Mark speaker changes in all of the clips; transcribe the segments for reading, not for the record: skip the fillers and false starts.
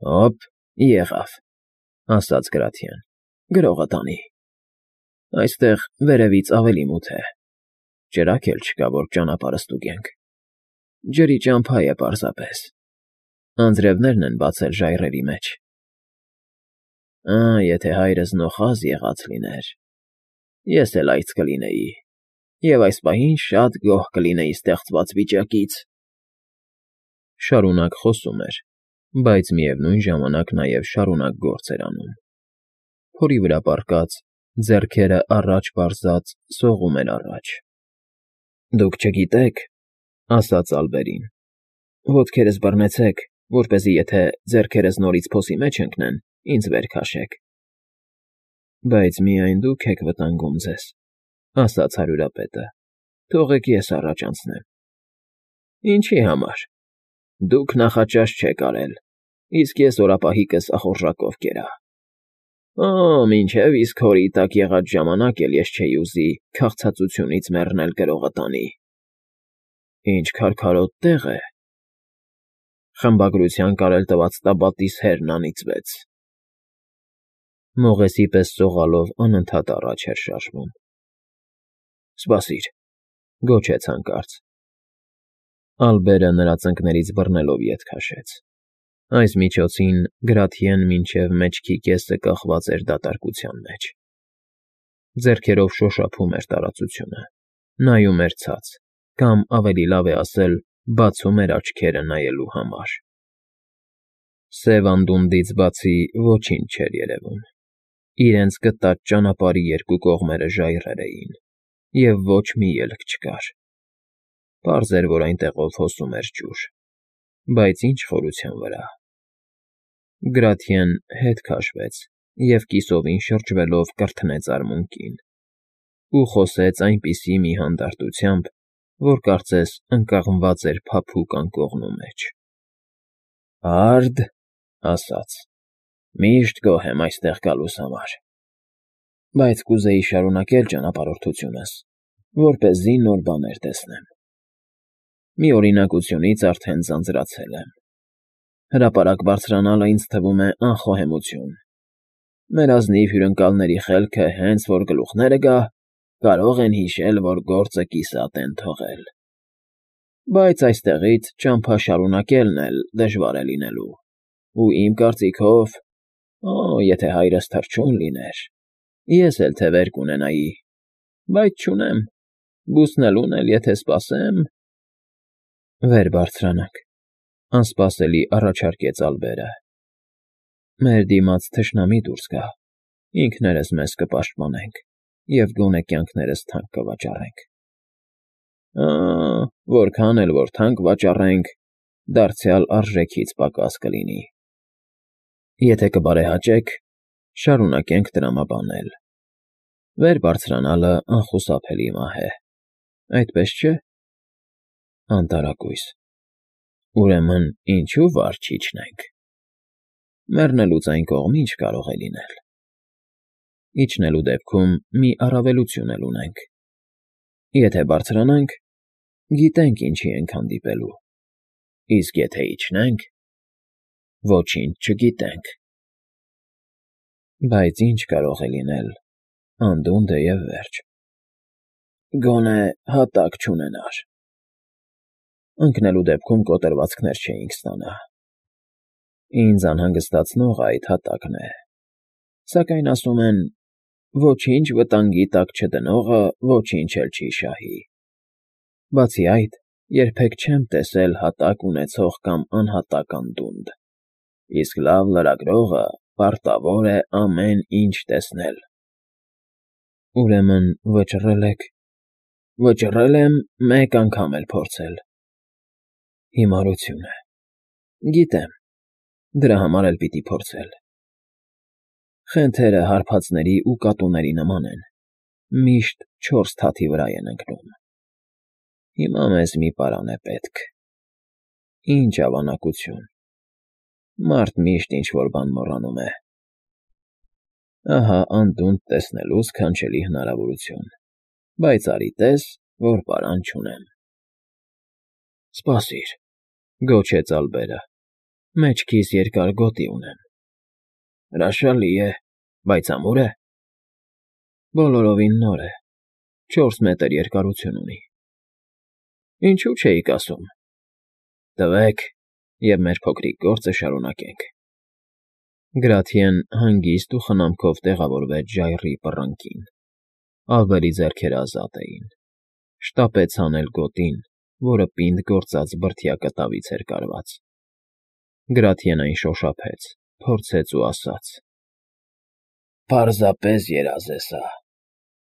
Speaker 1: Հոպ, եղավ, ասաց Գրաթիան, գրողը տանի։ Այստեղ վերևից ավելի մութ է, ճրագ էլ չկա, որ ճանապարհը ստուգենք, ջրի ճամփա է պարզապես, անձրևներն են բացել ժայռերի մեջ։ Եթե հայրս նոխազ եղած լիներ, ես էլ այց կլինեի, և այս պահին շատ գոհ կլինեի ստեղծված վիճակից։ Շարունակ խոսում էր, բայց միևնույն ժամանակ նաև շարունակ գործ էր անում։ Փորի վրա պառկած, ձեռքերը առաջ պարզած, սողում էր առաջ։ Դուք չգիտեք, ասաց Ալբերին, ոտքերս բռնեցեք, որպեսզի եթե ձեռքերս նորից փոսի մեջ ընկնեն, ինձ վեր քաշեք։ Բայց միայն դուք եք վտանգում ձեզ, ասաց հարյուրապետը, թողեք ես առաջ անցնեմ։ Ինչի համար։ Դուք նախաճաշ չեք արել, իսկ ես օրապահիկս ախորժակով կերա։ Մինչև իսկ հորի տակ եղած ժամանակ էլ ես չէի ուզի քաղցածությունից մեռնել գրողը տանի։ Ինչ քարքարոտ տեղ է։ Խմբագրության կարել տված տաբատիս հերն անիծվեց։ Մողեսի պես սողալով անընդհատ առաջ էր շարժվում։ Սպասիր, գոչեց հանկարծ։ Ալբերը նրա ծնկներից բռնելով ետ քաշեց։ Այս միջոցին Գրաթիեն մինչև մեջքի կեսը կախված էր դատարկության մեջ։ Ձեռքերով շոշափում էր տարածությունը, նայում էր ցած, կամ ավելի լավ է ասել, բացում էր աչքերը նայելու համար։ Սև անդունդից բացի ոչինչ չէր երևում։ Իրենց գտած ճանապարհի երկու կողմերը ժայռեր էին, և ոչ մի ելք չկար։ Պարզ էր, որ այնտեղով հոսում էր ջուր, բայց ինչ խորության վրա։ Գրաթիեն հետ քաշվեց և կիսովին շրջվելով կրթնեց արմունկին ու խոսեց այնպիսի մի հանդարտությամբ, որ կարծես ընկղմված էր փափուկ անկողնու մեջ։ Արդ, ասաց, միշտ գոհ եմ այստեղ գալուս համար, բայց կուզեի շարունակել ճանապարհորդությունս, որպեսզի նոր բաներ տեսնեմ։ Մի օրինակությունից արդեն ձանձրացել եմ։ Հրապարակ բարձրանալը ինձ թվում է անխոհեմություն։ Մեր ազնիվ հյուրընկալների խելքը հենց որ գլուխները գա, կարող են հիշել, որ գործը կիսատ են թողել։ Բայց այստեղից ճամփա շարունակելն էլ դժվար է լինելու, ու իմ կարծիքով, եթե հայրս թռչուն լիներ, ես էլ թևեր կունենայի, բայց չունեմ, բուսնելուն էլ եթե սպասեմ… Վեր բարձրանանք, անսպասելի առաջարկեց Ալբերը։ Մեր դիմաց թշնամի դուրս գա, ինքներս մեզ կպաշտպանենք և գոնե կյանքներս թանկ կվաճառենք։ Որքան էլ որ թանկ վաճառենք, դարձյալ արժեքից պակաս կլինի։ Եթե կբարեհաճեք, շարունակենք տրամաբանել։ Վեր բարձրանալը անխուսափելի մահ է, այդպես չէ՞։ Անտարակույս։ Ուրեմն ինչու վար չիջնենք։ Մեռնելուց այն կողմ ինչ կարող է լինել։ Իջնելու դեպքում մի առավելություն էլ ունենք։ Եթե բարձրանանք, գիտենք ինչի ենք հանդիպելու, իսկ եթե իջնենք, ոչինչ չգիտենք։ Բայց ինչ կարող է լինել, անդունդ է և վերջ։ Գոնե հատակ չունենար։ Ընկնելու դեպքում կոտրվածքներ չէինք ստանա։ Ինձ անհանգստացնողը այդ հատակն է, սակայն ասում են, ոչինչ վտանգի տակ չդնողը ոչինչ էլ չի շահի։ Բացի այդ, երբեք չեմ տեսել հատակ ունեցող կամ անհատակ անդունդ, իսկ լավ լրագրողը պարտավոր է ամեն ինչ տեսնել։ Ուրեմն վճռել եք… Վճռել եմ մեկ անգամ էլ փորձել։ Հիմարություն է։ Գիտեմ, դրա համար էլ պիտի փորձել։ Խենթերը հարբածների ու կատուների նման են, միշտ 4 թաթի վրա են ընկնում։ Հիմա մեզ մի պարան է պետք։ Ինչ ավանակություն։ Մարդ միշտ ինչ֊որ բան մոռանում է։ Ահա անդունդ տեսնելու սքանչելի հնարավորություն, բայց արի տես, որ պարան չունեմ։ Սպասիր, գոչեց Ալբերը։ Մեջքիս երկար գոտի ունեմ։ Հրաշալի է, բայց ամուր է։ Բոլորովին նոր է, 4 մետր երկարություն ունի։ Ինչու չէիք ասում։ Տվեք, և մեր փոքրիկ գործը շարունակենք։ Գրաթիեն հանգիստ ու խնամքով տեղավորվեց ժայռի պռանկին։ Ալբերի ձեռքերը ազատ էին։ Շտապեց հանել գոտին, որը պինդ գործած բրդյա կտավից էր կարված։ Գրաթիեն այն շոշափեց, փորձեց ու ասաց. «Պարզապես երազ է սա։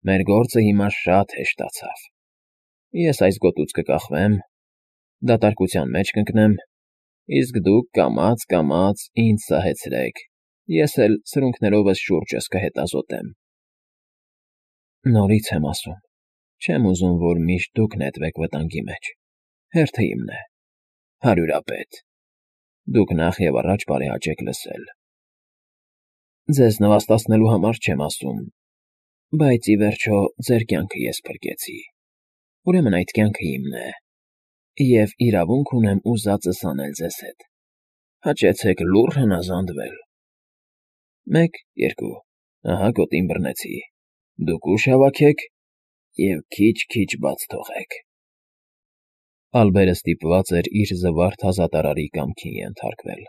Speaker 1: Մեր գործը հիմա շատ հեշտացավ։ Ես այս գոտուց կկախվեմ, դատարկության մեջ կընկնեմ, իսկ դուք կամաց֊կամաց ինձ սահեցրեք, ես էլ սրունքներովս շուրջս կհետազոտեմ։ Նորից եմ ասում, չեմ ուզում, որ միշտ դուք նետվեք վտանգի մեջ, հերթը իմն է, հարյուրապետ, դուք նախ և առաջ բարեհաճեք լսել։ Ձեզ նվաստացնելու համար չեմ ասում, բայց ի վերջո ձեր կյանքը ես փրկեցի, ուրեմն այդ կյանքը իմն է, և իրավունք ունեմ ուզածս անել ձեզ հետ, հաճեցեք լուռ հնազանդվել։ 1, 2, ահա գոտին բռնեցի, դուք ուժ հավաքեք և քիչ֊քիչ բաց թողեք»։ Ալբերը ստիպված էր իր զվարթ հազատարարի կամքին ենթարկվել։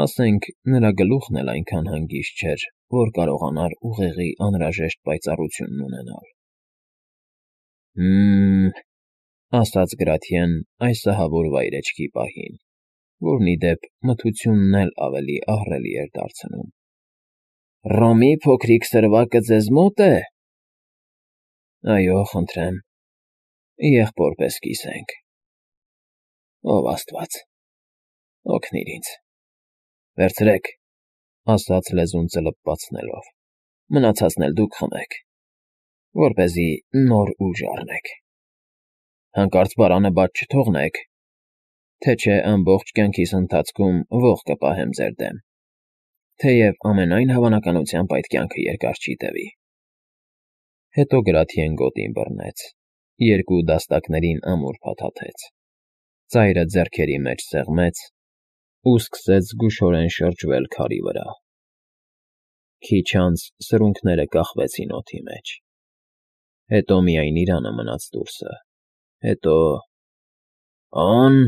Speaker 1: Ասենք, նրա գլուխն էլ այնքան հանգիստ չէր, որ կարողանար ուղեղի անհրաժեշտ պայծառությունն ունենալ։ Ասաց Գրաթիեն այս ահավոր վայրեջքի պահին, որն ի դեպ մթությունն էլ ավելի ահռելի էր դարձնում։ Ռոմի փոքրիկ սրվակը ձեզ մո՞տ է։ Այո, խնդրեմ, եղբոր պես կիսենք։ Ով աստված, օգնիր ինձ։ Վերցրեք, ասաց լեզուն ծլպվածնելով, մնացածն էլ դուք խմեք, որպեսզի նոր ուժ առնեք։ Հանկարծ բարանը բաց չթողնեք, թե չէ ամբողջ կյանքիս ընթացքում ոխ կպահեմ ձեր դեմ, թեև ամենայն հավանականությամբ այդ կյանքը երկար չի տևի։ Հետո Գրաթիեն գոտին բռնեց, 2 դաստակներին ամուր փաթաթեց, ծայրը ձեռքերի մեջ սեղմեց ու սկսեց զգուշորեն շրջվել քարի վրա։ Քիչ անց սրունքները կախվեցին օդի մեջ։ Հետո միայն իրանը մնաց դուրսը։ Հետո… «Օն…»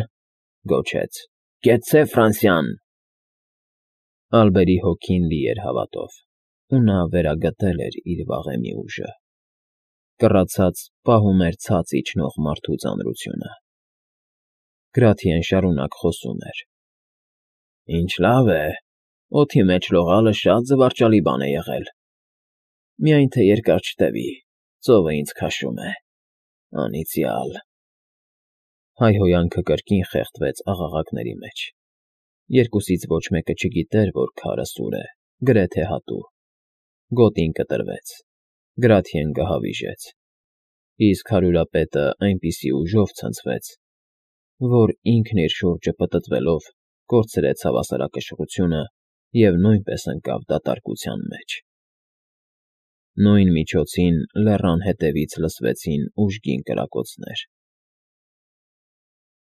Speaker 1: գոչեց, «Կեցցե Ֆրանսիան»։ Ալբերի հոգին լի էր հավատով, ու նա վերագտել էր իր վաղեմի ուժը։ Կռացած պահում էր ցած իջնող մարդու ծանրությունը։ Գրաթիեն շարունակ խոսում էր. «Ինչ լավ է, օդի մեջ լողալը շատ զվարճալի բան է եղել։ Միայն թե երկար չտևի, ծովը ինձ քաշում է, անիծյալ»։ Հայհոյանքը կրկին խեղդվեց աղաղակների մեջ։ Երկուսից ոչ մեկը չգիտեր, որ քարը սուր է, գրեթե հատու։ Գոտին կտրվեց, Գրաթիեն գահավիժեց, իսկ հարյուրապետը այնպիսի ուժով ցնցվեց, որ ինքն իր շուրջը պտտվելով կորցրեց հավասարակշռությունը և նույնպես ընկավ դատարկության մեջ։ Նույն միջոցին լեռան հետևից լսվեցին ուժգին կրակոցներ։